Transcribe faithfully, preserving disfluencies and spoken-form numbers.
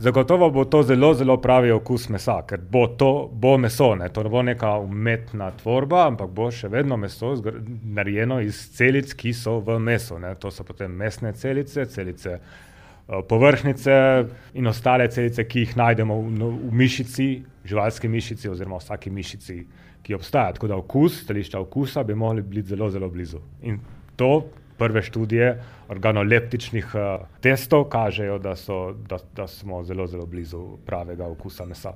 Zagotovo bo to zelo, zelo pravi okus mesa, ker bo to bo meso, ne, to ne bo neka umetna tvorba, ampak bo še vedno meso narejeno iz celic, ki so v mesu, ne, to so potem mesne celice, celice povrhnjice in ostale celice, ki jih najdemo v, v mišici, živalski mišici oziroma vsaki mišici, ki obstaja. Tako da okus, stališča okusa bi mogli biti zelo, zelo blizu. In to prve študije organoleptičnih uh, testov kažejo, da, so, da, da smo zelo, zelo blizu pravega okusa mesa.